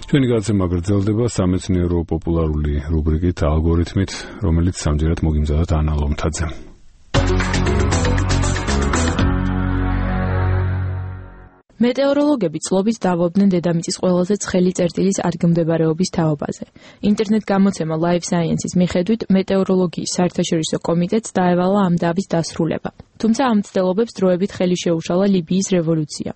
ჩვენი გადაცემა გრძელდება სამეცნიერო პოპულარული რუბრიკით ალგორითმით, რომელიც სამჯერად მოგიმზადათ ანა ლომთაძემ. მეტეოროლოგები წლობით დავობდნენ დედამიწის ყველაზე ცხელი წერტილის ადგილმდებარეობის თაობაზე. ინტერნეტ გამოცემა Live Science-ის მიხედვით მეტეოროლოგიის საერთაშორისო კომიტეტს დაევალა ამ დავის დასრულება. თუმცა ამ მცდელობებს დროებით ხელი შეუშალა ლიბიის რევოლუცია.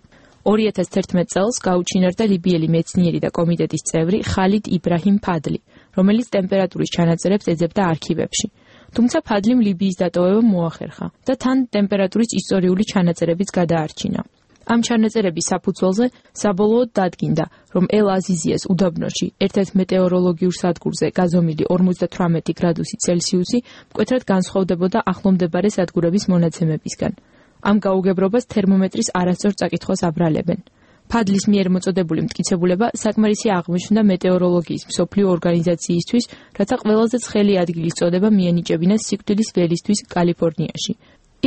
2011 წელს გაუჩინარდა ლიბიელი მეცნიერი და კომიტეტის წევრი ხალიდ იბრაჰიმ ფადლი, რომელიც ტემპერატურის ჩანაწერებს ეძებდა არქივებში. თუმცა ფადლიმ ლიბიის დატოვება მოახერხა და თან ტემპერატურის ისტორიული ჩანაწერებიც გადაარჩინა. ამ ჩანაწერების საფუძველზე საბოლოოდ დადგინდა, რომ ელ-აზიზიას უდაბნოში ერთ-ერთ მეტეოროლოგიურ სადგურზე გაზომილი 58 გრადუსი ცელსიუსი მკვეთრად განსხვავდებოდა ახლომდებარე სადგურების მონაცემებისგან. ამ გაუგებრობას თერმომეტრის არასწორ წაკითხვას აბრალებენ. ფადლის მიერ მოწოდებული მტკიცებულება საკმარისი აღმოჩნდა მეტეოროლოგიის მსოფლიო ორგანიზაციისთვის, რათა ყველაზე ცხელი ადგილის წოდება მიენიჭებინათ სიკვდილის ველისთვის კალიფორნიაში.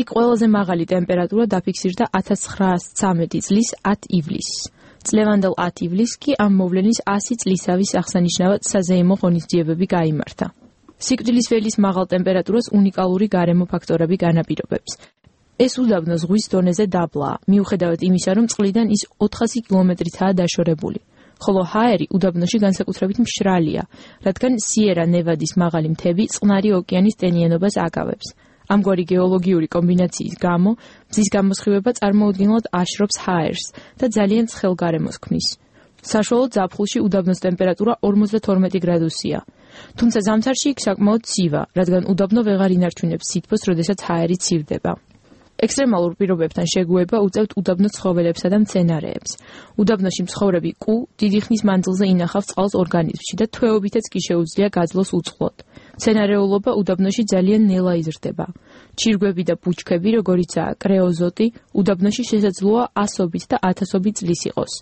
იქ ყველაზე მაღალი ტემპერატურა დაფიქსირდა 1913 წლის 10 ივლისს. წლევანდელ 10 ივლისს კი ამ მოვლენის 100 წლისავის აღსანიშნავად საზეიმო ღონისძიებები გაიმართა. სიკვდილის ველის მაღალ ტემპერატურას უნიკალური გარემო ფაქტორები განაპირობებს. ეს უდაბნო ზღვის დონეზე დაბლაა, მიუხედავად იმისა, რომ წყლიდან ის 400 კილომეტრითაა დაშორებული. ხოლო ჰაერი უდაბნოში განსაკუთრებით მშრალია, რადგან სიერა-ნევადის მაღალი მთები წყნარი ოკეანის ტენიანობას აკავებს. ამგვარი გეოლოგიური კომბინაციის გამო მზის გამოსხივება წარმოუდგენლად აშრობს ჰაერს და ძალიან ცხელ გარემოს ქმნის. საშუალო ზაფხულში უდაბნოს ტემპერატურა 52 გრადუსია. თუმცა ზამთარში იქ საკმაოდ ცივა, რადგან უდაბნო ვეღარ ინარჩუნებს სითბოს, როდესაც ჰაერი ცივდება. ექსტრემალურ პირობებთან შეგუება უწევთ უდაბნოს ცხოველებსა და მცენარეებს. უდაბნოში მცხოვრები კუ დიდი ხნის მანძილზე ინახავს წყალს ორგანიზმში და თვეობითაც კი შეუძლია გაძლოს უწყლოდ. მცენარეულობა უდაბნოში ძალიან ნელა იზრდება. ჩირგვები და ბუჩქები, როგორიცაა კრეოზოტი, უდაბნოში შესაძლოა ასობით და ათასობით წლის იყოს.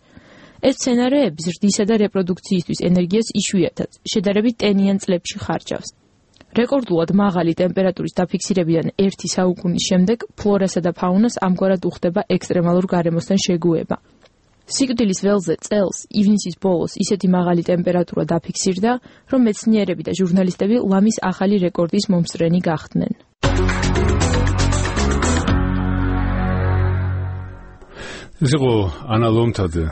ეს მცენარეები ზრდისა და რეპროდუქციისთვის ენერგიას იშვიათად, შედარებით ტენიან წლებში ხარჯავს. რეკორდულად მაღალი ტემპერატურის დაფიქსირებიდან 1 საუკუნის შემდეგ ფლორასა და ფაუნას ამგვარად უხდება ექსტრემალურ გარემოსთან შეგუება. სიკვდილის ველზე წელს ივნისის ბოლოს ისეთი მაღალი ტემპერატურა დაფიქსირდა, რომ მეცნიერები და ჟურნალისტები ლამის ახალი რეკორდის მომსწრენი გახდნენ. ეს იყო ანა ლომთაძე,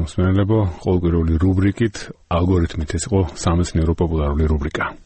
მსმენელებო, ყოველკვირეული რუბრიკით ალგორითმით, ეს იყო სამეცნიერო პოპულარული რუბრიკა.